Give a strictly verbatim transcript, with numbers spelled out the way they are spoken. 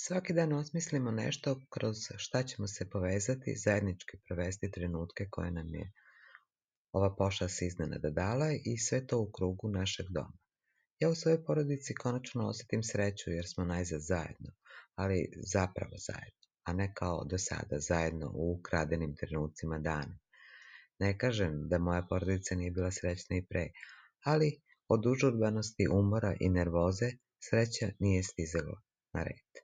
Svaki dan osmislimo nešto kroz šta ćemo se povezati, zajednički provesti trenutke koje nam je ova pošast iznenada dala i sve to u krugu našeg doma. Ja u svojoj porodici konačno osjetim sreću jer smo najzad zajedno, ali zapravo zajedno, a ne kao do sada zajedno u ukradenim trenucima dana. Ne kažem da moja porodica nije bila srećna i pre, ali od užurbanosti, umora i nervoze sreća nije stizala na red.